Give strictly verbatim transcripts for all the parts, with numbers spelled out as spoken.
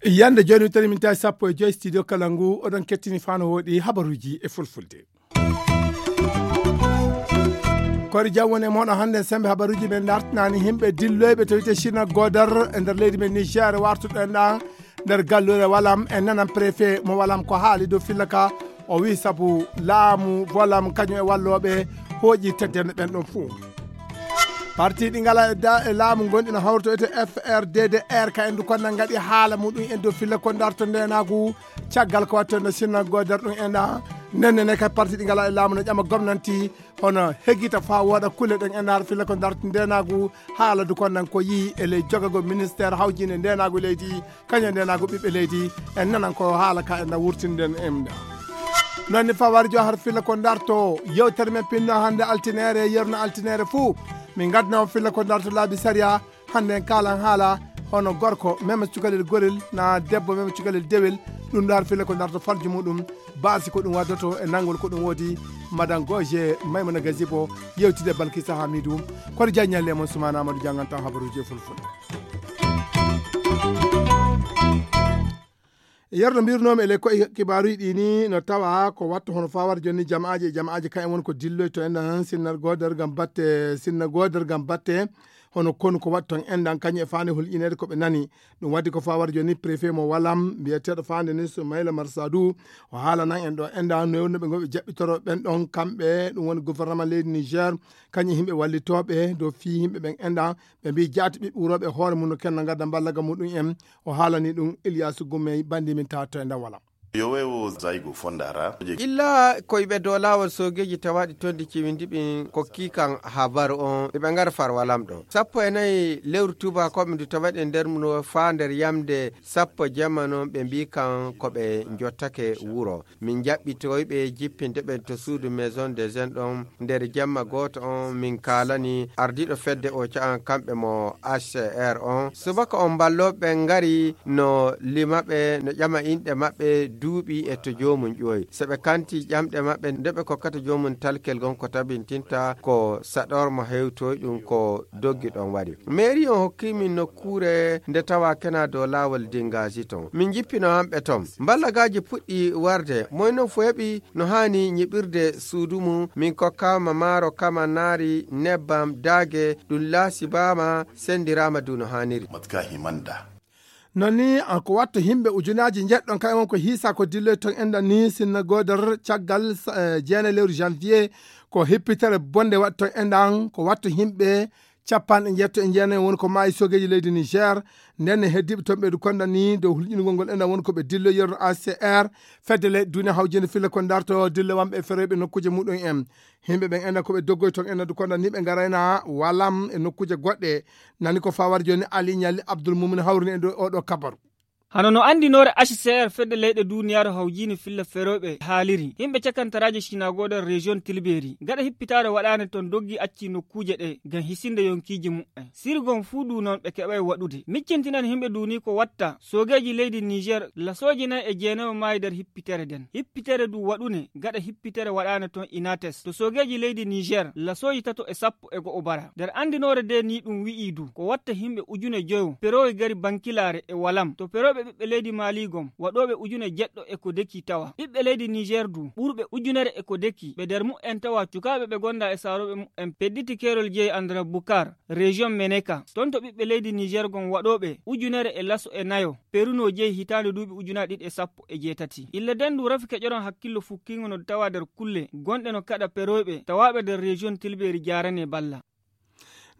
Yande jooni, tari min tawi sappo e joy studio kala ngu, oɗon kettini fano woɗi habaruji e fulfulde. Kori jam woni e moɗon hannde. Sembe habaruji men dartinani himɓe dilloyɓe to wiyte China Godar e nder leydi men Niger, wartuɗo en ɗan nder gallure Walam. En nanan préfet mo Walam ko haali dow filla ka. O wi sabu laamu Walam kañum e wallooɓe hooƴi teddene ɓen ɗon fuu. Parti ɗi ngala e da-, e laamu gonɗi no hawrito ete F R D D R ka en du konna ngaɗi haala muɗum en dow filla ko darto ndenagu caggal ko watto no China Godar ɗum en ɗa. Nenne ne kay parti ɗi ngala e laamu no ƴama gomnanti hono heggita faa wooɗa kulle ɗen en har filla ko darto ndenagu haala du konnan ko yii e ley jogagol ministère hawjinde ndenagu leydi, kañum ndenagu ɓiɓɓe leydi. En nanan ko haala ka en na wurtinden en ɗa. Noon ni fawari jo har filla ko darto yewtere men pinno hannde altinere, yerno altinere fuu. Min ngadna on filla ko darto laabi sariya. Hannde en kaalan haala hono gorko mema cukalel gorel na debbo mema cukalel dewel. Ɗum ɗo har filla ko darto farju muɗum, baasi ko ɗum waddoto e nanngol ko ɗum woodi. Madan Goje Maymuna Gazibo yewtide Balkisa Hamidu. Kono jaññalle mon Sumana Amadou jannganta habaruji e fulfulde. Yerno mbirnoomi e ley koye kibaaruji ɗi ni no tawa ko wattu hono fawar jonni jama'aaji e jama'aaji kayen woni ko dilloyto en ɗan sinna goodar ngam batte, sinna goodar ngam batte hono konu ko wattu ton en ɗan kañum e faande hulƴineede ko ɓe nani. Ɗum waddi ko fawar jonni préfet mo Walam mbiyeteeɗo faande ni Soumaïla Marsadu o haalanan en ɗo en ɗan no ɓe ngoɓe jaɓɓitoro ɓen ɗon kamɓe ɗum woni gouvernement leydi Niger kañum e yimɓe wallitooɓe dow fii yimɓe ɓen en ɗan ɓe mbii jaati ɓiɓɓe wurooɓe e hoore mum no kenno ngadda mballaga muɗum en. O haalani ɗum Ilyasu Gumey bandi min tawa to e nder Walam. Yo wewo zaygo fondara. Illa koyɓe dow laawol soogeeji tawaaɗi toon ndi ciwindi ɓin kokki kan habaru on ɓe ɓe ngara far Walam ɗo. Sappo e nayi lewru tuubakooɓe ndu tawaɗe nder mum faa nder yamde sappo jamma noon ɓe mbii kan ko ɓe njottake wuro. Min jaɓɓitoyɓe jippinde ɓen to suudu Maison des Jeunes ɗon nder jamma gooto on, min kaalani ardiiɗo fedde o ca'an kamɓe mo H C R on. Subaka on mballooɓe ɓen ngari no lima ɓe, no ƴama inɗe maɓɓe, duuɓi e to joomum ƴooyi. So ɓe kanti ƴamɗe maɓɓe nde ɓe kokkata joomum talkel gon ko tabintinta ko saɗorma hewtoy ɗum ko doggi ɗon waɗi. Mairie on hokki min nokkuure nde tawa kena dow laawol Dingaasi ton. Min jippino hamɓe ton. Mballagaaji puɗɗi warde. Moy non fo heɓi no haani nyiɓirde suudu mum. Min kokkaama maaro, kama naari, nebbam, daage, ɗum laasibaama, sendiraama du no haaniri. Matka himanda. Non ni, an ko watto himɓe ujunaaji njeɗɗon kay won ko hiisa ko dilloy ton enɗan ni sinna goodor caggal, eh, jeenayi lewru janvier, ko hippitere bonde waɗi ton enɗan, ko watto himɓe capanɗe njeetto e jeenayi woni ko maayi soogeeji leydi Niger. Nden ne heddiiɓe toon ɓeydu konda ni dow hulƴinugol ngol enɗan woni ko ɓe dillo yerno A C R, fedde leyɗe duniya hawjinde filla ko darto dillo wamɓe e feroyɓe nokkuuje muɗum en. Yimɓe ɓen enɗan ko ɓe doggoy toon enɗan du konda ni ɓe ngarayna walam e nokkuuje goɗɗe. Nani ko fawar jooni Ali Ñalli Abdul Mumin hawrini e ndo oɗo kabaru. Hano no anndinoore H C R fedde leyɗe duniyaaru hawjiini filla ferooɓe haaliri, yimɓe cakantaraaji Sinagoodar rejiyon Tilbeeri, gaɗa hippitaare waɗaande ton doggi acci nokkuuje ɗe ngam hisinde yonkiiji muɓɓen. Sirgon fuu du noon ɓe keɓay waɗude. Miccintinan yimɓe du ni ko watta, soogeeji leydi Niger lasooji nay e jeenayo maayi nder hippitere nden. Hippitere du waɗune gaɗa hippitere waɗaande ton Inates. To soogeeji leydi Niger lasooji tato e sappo e go'o bara. Nder anndinoore de ni ɗum wi'i du, ko watta yimɓe ujune joyo, perooy gari bankilaare e walam. To perooɓe ɓiɓɓe leydi Maali gom, waɗooɓe ujune jeɗɗo e ko deki tawa. Ɓiɓɓe leydi Niger du, ɓurɓe ujunere e ko deki, ɓe nder mu'en tawa cukaaɓe ɓe gonda e saarooɓe mu'en pedditi keerol jeyi Andra Bukar, rejiyon Meneka. Ton to ɓiɓɓe leydi Niger gom waɗooɓe ujunere e laso e nayo, peruno jeyi hitaande duuɓi ujunaaji ɗiɗi e sappo e jeetati. Illa den du rafi keƴoron hakkillo fukkingo no tawa nder kulle, gonɗe no kaɗa perooɓe, tawaaɓe nder rejiyon Tilbeeri jaarane balla.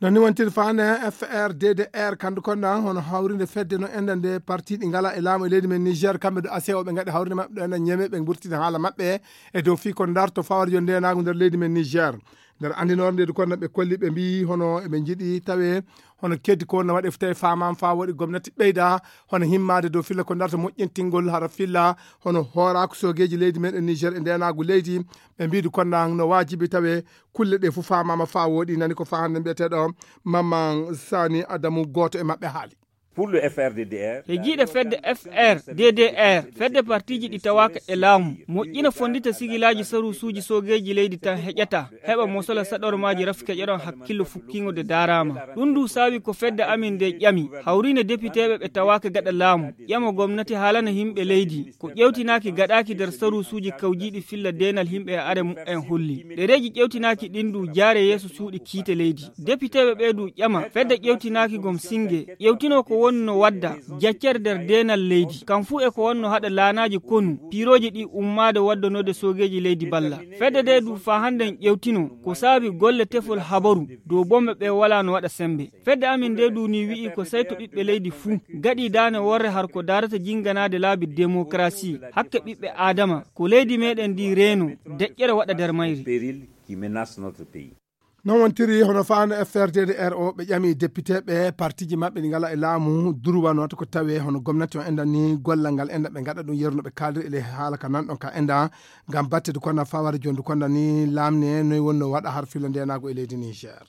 Non ni wontiri faande F R D D R kandu konda hono hawrinde fedde no enɗan nde parti ɗi ngala e laamu e leydi men Niger, kamɓe do A C O ɓe ngaɗi hawrinde maɓɓe ɗo enɗan ñeme ɓe mburtini haala maɓɓe e dow fii ko darto fawar yo ndenagu nder leydi men Niger. Nder andinore nde du konda ɓe kolli ɓe mbii hono eɓe njiɗi tawe hono keddi ko wonna waɗe tawi faamaama faa woɗi gomnati ɓeyda hono himmaade dow filla ko darto moƴƴintingol hara filla hono hooraaku soogeeji leydi men e Niger e ndenagu leydi. Ɓe mbii du konda no waajibi tawe kulle ɗe fof faamaama faa wooɗi, nani ko faa hannde mbiyeteeɗo Mamman Sani Adamu, gooto e maɓɓe haali. He jiiɗe fedde F R D D R, fedde partiiji ɗi tawaaka e laamu, moƴƴina fonndita sigilaaji saruusuuji soogeeji leydi tan heƴata, heɓa mosola saɗormaaji rafi keƴoɗon hakkillo fukkiingo de daaraama. Ɗum ndu saawi ko fedde amin nde ƴami, hawriine depiteeɓe ɓe tawaaka gaɗa laamu, ƴama gomnati haalana yimɓe leydi, ko ƴeewtinaaki gaɗaaki nder saruusuuji kawjiiɗi filla deenal yimɓe e are mumen holli. Ɗereeji ƴeewtinaaki ɗin ndu jaare yeeso suuɗi kiite leydi. Depiteeɓe ɓee du ƴama, fedde ƴeewtinaaki gom singe, ƴeewtinoo ko woni no wadda jaccere nder deenal leydi. Kam fuu e ko wonno haɗa laanaaji konu, piirooji ɗi ummaade waddanode soogeeji leydi balla. Fedde nde du faa hannden ƴeewtino, ko saabi golle tefol habaru, dow bomme ɓe walaa no waɗa sembe. Fedde amin nde du ni wi'i ko sey to ɓiɓɓe leydi fuu, gaɗi daane worre har ko daarata jinganaade laabi demokarasi, hakke ɓiɓɓe Aadama, ko leydi meɗen ndi reeno, deƴƴere waɗa nder mayri. Non wontiri hono faano F R D D R o, ɓe ƴami depiteeɓe partiiji maɓɓe ɗi ngala e laamu, durwa no wata ko tawe hono gomnati on enɗan ni gollal ngal enɗan ɓe ngaɗa ɗum yeru no ɓe kaaliri e ley haala ka nan ɗon ka enɗan, ngam batte du konda faware jon du konda ni laamne noy wonno waɗa har filla ndenaagu e leydi Niger.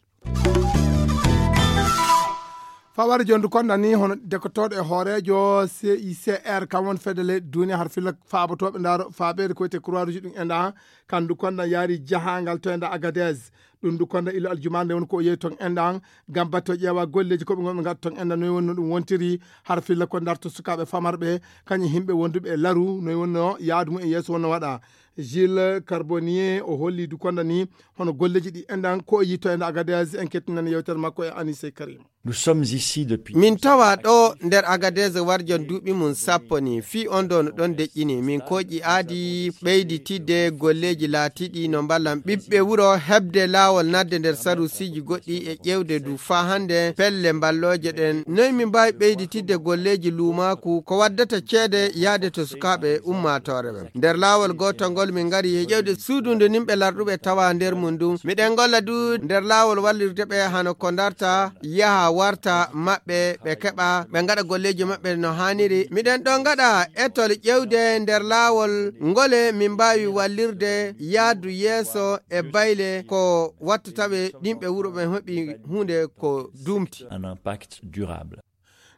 Faware jon du konda ni hono dekotooɗo e hooreejo C I C R kam won fedde leyɗe duniya har filla faabotooɓe ndaaro faabeede ko wiyetee Croix Rouge ɗum enɗan, kan du konda yaari jahangal to enɗan Agadez. Ɗum du konda ilo aljumaande woni ko o yehi ton enɗan, ngam batte o ƴeewa golleeji ko ɓe ngonɓe ngaɗa ton enɗan noy woni no ɗum wontiri har filla ko ndarto sukaaɓe famarɓe, kañum yimɓe wonduɓe e laru noy wonno yaadu mum e yeeso wonno waɗa. Gilles Carbonnier o holli du konda ni hono golleeji ɗi enɗan ko o yii to enɗan Agadez. En kettinani yewtere makko e Anise Karim. Nous sommes ici depuis Min tawa ɗo nder Agadez warjon duuɓi mum sappo ni, fii on ɗo no ɗon deƴƴini. Min kooƴi aadi ɓeyditidde golleeji laatiiɗi no mballan ɓiɓɓe wuro heɓde laawol naatde nder saruusiiji goɗɗi e ƴeewde du faa hannde pelle mballooje ɗen. Noy min mbaawi ɓeyditidde golleeji luumaaku ko waddata ceede yahde to sukaaɓe ummaatoore ɓen? Nder laawol gootol ngol min ngari e ƴeewde suudu ndu nimɓe larɗuɓe tawa nder mum ndun. Miɗen ngolla du nder laawol wallirde ɓe hano ko ndarta yaha warta maɓɓe, ɓe keɓa, ɓe ngaɗa golleeji maɓɓe no haaniri. Miɗen ɗon ngaɗa etol ƴeewde nder laawol ngole min mbaawi wallirde yaadu yeeso e bayle ko wattata ɓe ɗimɓe wuro ɓen heɓi huunde ko duumti. Un impact durable.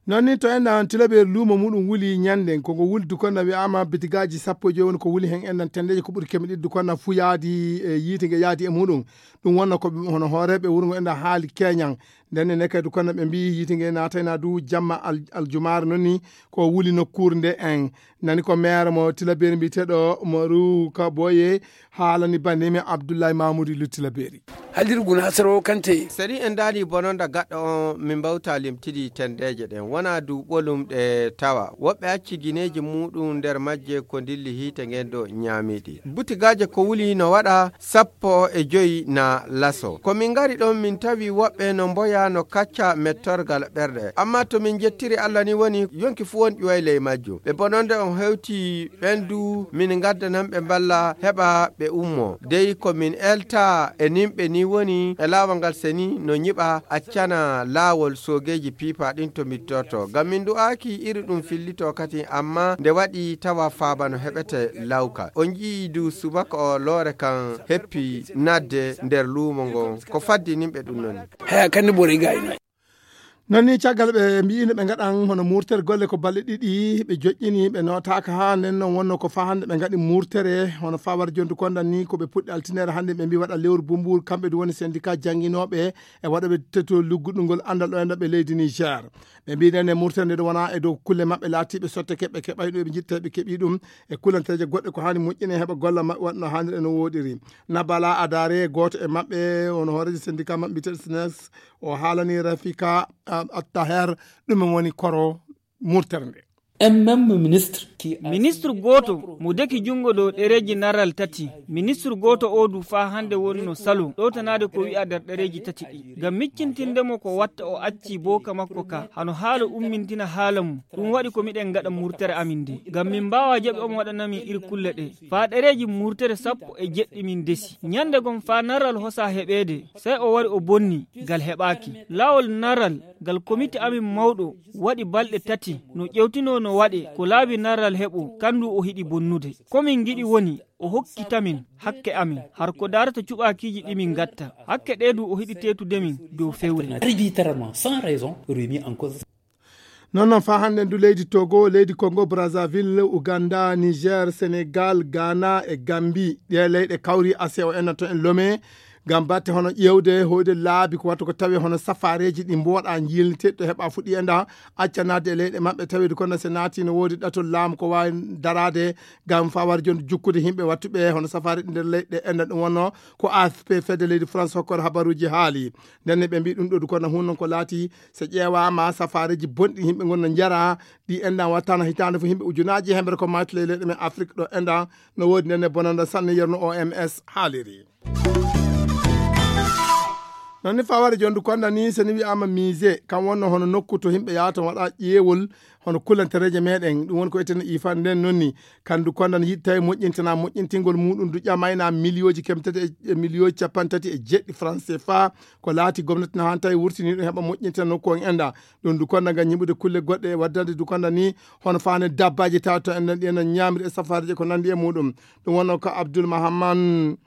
Non ni to enɗan Tilaberi luumo muɗum wuli ñannden, ko ngo wuli du konda wi'aama bitigaaji sappo e joy woni ko wuli hen enɗan tenndeeji ko ɓuri keme ɗiɗi du konda fuu yaadi e yiite nge yaadi e muɗum. Ɗum wonno ko hono hooreeɓe wuro ngo enɗan haali keñan. Nden ne kadi du konda ɓe mbii yiite nge naatayna du jamma al-, aljumaare non ni ko wuli nokkuure nde en. Nani ko maire mo Tilaberi mbiyeteeɗo Maru Kaboye haalani banndimi Abdullahi Mamoudou Lutti Laberi. Halirgu na saro kante. Sari en daali bononda gaɗɗo on min mbawta limtidi tendeeje ɗen. Wona du ɓolum ɗe tawa. Woɓɓe acci gineeji muɗum nder majje ko dilli hiite ngen do ñaamiɗi. Butigaaje ko wuli no waɗa sappo e joy na laso. Ko min ngari ɗon min tawi woɓɓe no mboya no kacca mettorgal ɓerɗe. Amma to min jettiri Allah ni woni yonki fu won ƴuway ley majjum. Ɓe bononde on hewti ɓen du min ngaddanan ɓe mballa heɓa ɓe ummo. Dey ko min elta e nimɓe ni woni e laawol ngal seni no nyiɓa accana laawol soogeeji piipa ɗin to mittorto. Ngam min du'aaki iri ɗum fillito kadi amma nde waɗi tawa faaba no heɓete lawka. On yi'i du subaka o loore kan heppi nadde nder luumo ngon. Ko faddi nimɓe ɗum noni. Haya kandi bore gayno. Non ni caggal ɓe mbi'ino ɓe ngaɗan hono murtere golle ko balɗe ɗiɗi ɓe joƴƴini ɓe nootaaka haa nden non wonno ko faa hannde ɓe ngaɗi murtere hono faa war jontu kondan ni ko ɓe puɗɗi altinere hannde ɓe mbi waɗa lewru bumbuur kamɓe du woni syndicat jannginooɓe e waɗooɓe teto lugguɗungol anndal ɗo e nder ɓe leydi Niger. Ɓe mbi nden e murtere nde ɗo wona e dow kulle maɓɓe laatiiɓe sotte keɓɓe keɓay ɗo ɓe njitta ɓe keɓi ɗum e kullanteeje goɗɗe ko haani moƴƴine heɓa golla maɓɓe waɗno haanir e no wooɗiri. Nabala Adare gooto e maɓɓe hono hooreejo syndicat maɓɓe mbiyeteeɗo snes o haalani Rafika Attaher ɗumen woni koro murtere nde. Un même ministre qui a Ministre gooto mo deki junngo dow ɗereeji naral tati. Ministre gooto oo du faa hannde woni no salo ɗowtanaade ko wi'a nder ɗereeji tati ɗi. Ngam miccintinde mo ko watta o acci booka makko ka hano haala ummintina haala mum. Ɗum waɗi ko miɗen ngaɗa murtere amin nde. Ngam min mbaawaa jaɓi omo waɗana min iri kulle ɗe. Faa ɗereeji murtere sappo e jeɗɗi min ndesi. Ñande gom faa naral hosa heɓeede, sey o wari o bonni, ngal heɓaaki. Laawol naral ngal komite amin mawɗo waɗi balɗe tati no ƴewtinoo no waɗe ko laabi naral heɓo, kandu o hiɗi bonnude. Ko min ngiɗi woni o hokkita min hakke amin, har ko daarata cuɓaakiiji ɗi min ngatta. Hakke ɗee du o hiɗi teetude min dow fewre. Arbitrairement, sans raison, remis en cause. Non, non, faa hannden du leydi Togo, leydi Congo Brazzaville, Uganda, Niger, Senegal, Ghana e Gambie. Ɗee leyɗe kawri ase o enna to en Lome. Ngam batte hono ƴeewde, hoyde laabi ko watta ko tawi hono safaareeji ɗi mbooɗa njiilnite, ɗo heɓa fuɗi e nda, acca naatde e leyɗe maɓɓe, tawi du kono se naati no woodi ɗatol laamu ko waawi daraade, ngam faa wari jooni jukkude yimɓe wattuɓe hono safaare ɗi nder leyɗe enna ɗum wonno ko A F P fedde leydi France hokkor habaruuji haali. Nden ne ɓe mbii ɗum ɗo du kono hun non ko laati, so ƴeewaama safaareeji bonɗi yimɓe ngon no njara, ɗi enɗan wattana hitaande fof yimɓe ujunaaji hemre ko maaytude e leyɗe men Afrik ɗo enɗan no woodi nden ne bonanda sanne yerno O M S haaliri. Non ni faware jondu konda ni so ni wi'aama musée, kam wonno hono nokku to yimɓe yahata waɗa ƴeewol hono kulantereeje meɗen, ɗum woni ko etene ifa nden non ni. Kandu konda ni yiɗi tawi moƴƴintana moƴƴintingol muɗum du ƴamayna miliyooji kemtati e, e miliyooji capanɗe tati e jeɗɗi franc C F A, ko laati gomnati na han tawi wurtini ɗum heɓa moƴƴintina nokku on enɗa. Ɗum du konda ngam ñiɓude kulle goɗɗe e waddande du konda ni hono faane dabbaaji tawa to enɗan ɗi enɗan ñaamiri e safareeji ko nandi e muɗum. Ɗum wonno ko Abdul Mahamman,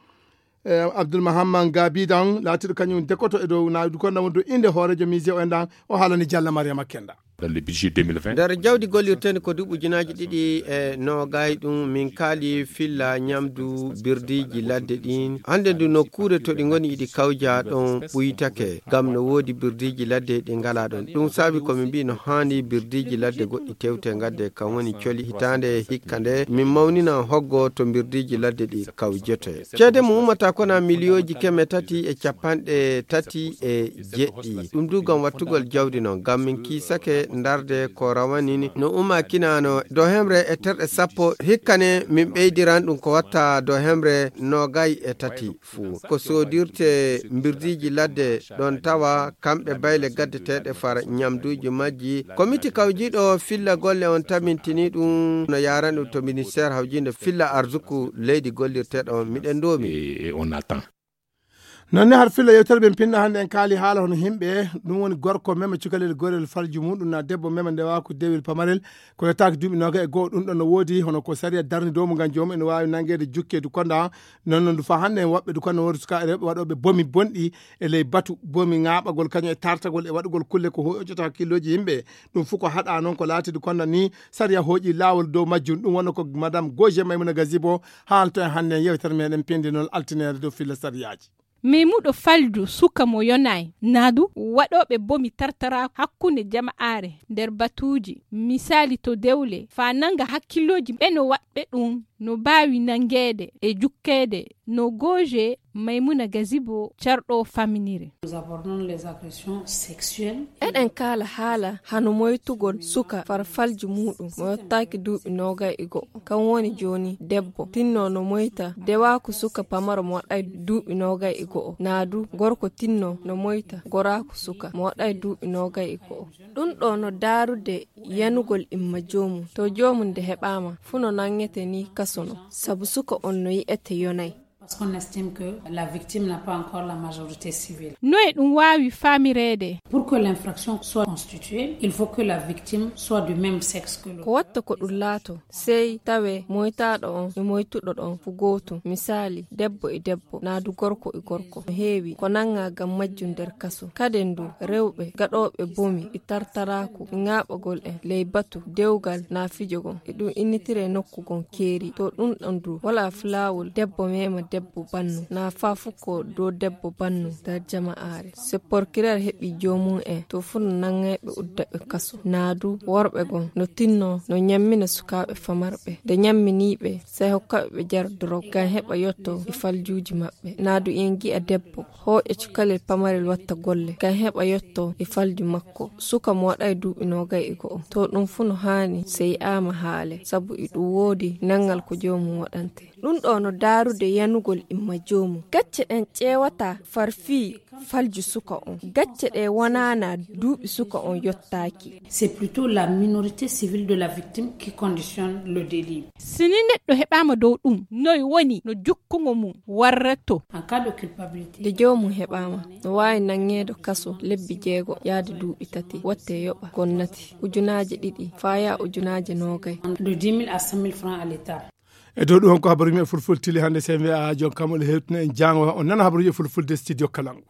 eh, Abdul Mahamman Gabidan laatiɗo kañum dekoto e dow na du konda wondu inde hooreejo musée o enɗan o haalani Jalla Mariama Kenda. Dans le budget deux mille vingt. Nder jawdi gollirtendi ko duuɓi ujunaaji ɗiɗi e noogay ɗum min kaali filla ñamdu birdiiji ladde ɗin. Hannde ndu nokkuure to ɗi ngoni iɗi kawja ɗon ɓuytake, ngam no woodi birdiiji ladde ɗi ngala ɗon. Ɗum saabi ko min mbii no haani birdiiji ladde goɗɗi tewte ngadde, kam woni coli hitaande hikka nde min mawnina hoggo to birdiiji ladde ɗi kawjete. Ceede mum ummata kona miliyooji keme tati e capanɗe tati e jeɗɗi. Ɗum du ngam wattugol jawdi non, ngam min kiisake ndarde ko rawanini no umma kinano do hemre e terɗe sappo. Hikka ne min ɓeydiran ɗum ko watta do hemre noogay e tati fuu. Ko soodirte mbirdiiji ladde ɗon tawa kamɓe bayle gaddeteeɗe far ñamduuji majji. Komiti kawjiiɗo filla golle on tabintini ɗum no yaarani ɗum to ministeer hawjiinde filla arsuku leydi gollirteeɗo on. Miɗen ndoomi. Et, et on attend. Non ne har filla yewtere ɓen pinna hannde en kaali haala hono yimɓe, ɗum woni gorko mema cukalel gorel falju muɗum na debbo mema ndewaku dewel pamarel, ko yettaaki duuɓi noga e go'o. Ɗum ɗon no woodi hono ko sariya darni dow mo ngam joomum ene waawi nangeede jukke du konda. Non non du fa hannde en woɓɓe du konda wonde suka e rewɓe waɗooɓe bomi bonɗi e ley batu bomi ŋaaɓagol kañum e tartagol e waɗugol kulle ko hoƴata hakkillooji yimɓe. Ɗum fof ko haɗa noon ko laati du konda ni sariya hooƴi laawol dow majjum. Ɗum wonno ko Madame Goje Maymuna Gazibo haalto en hannde e yewtere meɗen pindinol altineere dow filla sariyaaji. Meymuɗo falju suka mo yonaay, naa du waɗooɓe bomi tartara hakkunde jama'aare nder batuuji, misaali to dewle, faa nanga hakkillooji ɓe no waɗɓe ɗum, no baawi nangeede e jukkeede, no Goje Maymuna Gazibo carɗo faminire. Nous abordons les agressions sexuelles. Eɗen kaala haala hano moytugol suka farfalji muɗum mo yottaaki duuɓi noogay e go'o. Kan woni jooni debbo tinno no moyta dewaaku suka pamaro mo waɗay duuɓi noogay e go'o. Naa du gorko tinno no moyta goraaku suka mo waɗay duuɓi noogay e go'o. Ɗum ɗo no daarude yanugol imma joomum. To joomum nde heɓaama, fuu no nangete ni kaso no. Sabu suka on no yi'ete yonay. Parce qu'on estime que la victime n'a pas encore la majorité civile. No e ɗum waawi faamireede. Pour que l'infraction soit constituée, il faut que la victime soit du même sexe que l'auteur. Ko watta ko ɗum laato, sey tawe moytaaɗo on e moytuɗo ɗon fu gootum. Misaali, debbo e debbo, naa du gorko e gorko. No heewi ko nanga ngam majjum nder kaso. Kaden du, rewɓe gaɗooɓe bomi e tartaraaku e ŋaaɓagol en ley batu, dewgal naa fijo gon. E ɗum innitire nokku gon keeri. To ɗum ɗon du, wala fu laawol debbo mema debbo bannu, naa faa fu ko do debbo bannu nder jama'aare. Se porkireer heɓi joomum en, to fu no nangay ɓe udda ɓe kaso. Naa du, worɓe gon no tinno no ñammina sukaaɓe famarɓe. Nde ñammini ɓe, sey hokka ɓe ɓe jara dorog, ngam heɓa yotto e faljuuji maɓɓe. Naa du en gi'a debbo hooƴa cukalel pamarel watta golle, ngam heɓa yotto e falju makko. Suka mo waɗay duuɓi noogay e go'o. To ɗum fu no haani, sey ama haale, sabu e ɗum woodi nangal ko joomum waɗante. Ɗum ɗo no daarude yanugol imma joomum. Gacce ɗen ƴeewata far fii falju suka on. Gacce ɗe wonaana duuɓi suka on yottaaki. C'est plutôt la minorité civile de la victime qui conditionne le délit. Si ni neɗɗo heɓaama dow ɗum, noy woni no jukkungo mum warratoo? En cas de culpabilité. Nde joomum heɓaama, no waawi nangeedo kaso lebbi jeego yaade duuɓi tati, watte yoɓa gonnati ujunaaje ɗiɗi faa yaa ujunaaje noogay. De dix mille à cent mille francs à l'État. E dow ɗum on ko habaruuji men fulfulde tili hannde, C V A jon kam ole hewtina en jaango on nana habaruuji e fulfulde studio Kalangu.